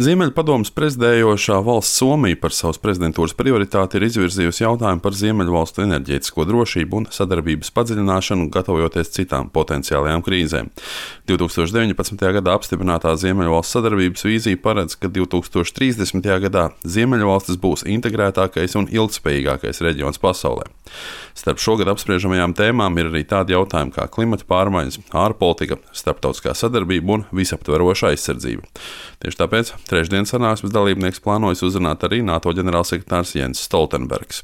Ziemeļpadomes prezidējošā valsts Somija par savas prezidentūras prioritāti ir izvirzījusi jautājumu par Ziemeļvalstu enerģētisko drošību un sadarbības padziļināšanu, gatavojoties citām potenciālajām krīzēm. 2019. gadā apstiprinātā Ziemeļvalstu sadarbības vīzija paredz, ka 2030. gadā Ziemeļvalstis būs integrētākais un ilgtspējīgākais reģions pasaulē. Starp šogad apspriežamajām tēmām ir arī tādi jautājumi kā klimata pārmaiņas, ārpolitika, starptautiskā sadarbība un visaptveroša aizsardzība. Tieši tāpēc trešdienas sanāksmes dalībnieks plānojas uzrunāt arī NATO ģenerālsekretārs Jens Stoltenbergs.